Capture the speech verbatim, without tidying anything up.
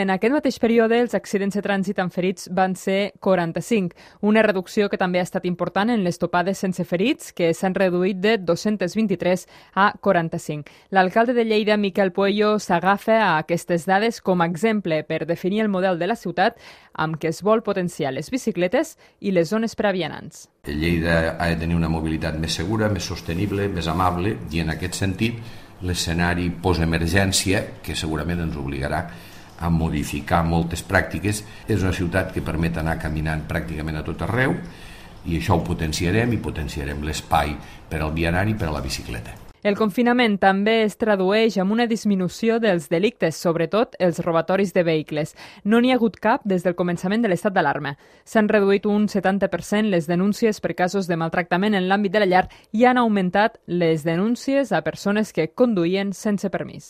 En aquest mateix període, els accidents de trànsit amb ferits van ser quaranta-cinc, una reducció que també ha estat important en les topades sense ferits, que s'han reduït de dos-cents vint-i-tres a quaranta-cinc. L'alcalde de Lleida, Miquel Puello, s'agafa a aquestes dades com a exemple per definir el model de la ciutat amb què es vol potenciar les bicicletes i les zones per a vianants. Lleida ha de tenir una mobilitat més segura, més sostenible, més amable, i en aquest sentit l'escenari postemergència, que segurament ens obligarà a modificar moltes pràctiques, és una ciutat que permet anar caminant pràcticament a tot arreu, i això ho potenciarem i potenciarem l'espai per al vianari i per a la bicicleta. El confinament també es tradueix en una disminució dels delictes, sobretot els robatoris de vehicles. No n'hi ha hagut cap des del començament de l'estat d'alarma. S'han reduït un setanta per cent les denúncies per casos de maltractament en l'àmbit de la llar i han augmentat les denúncies a persones que conduïen sense permís.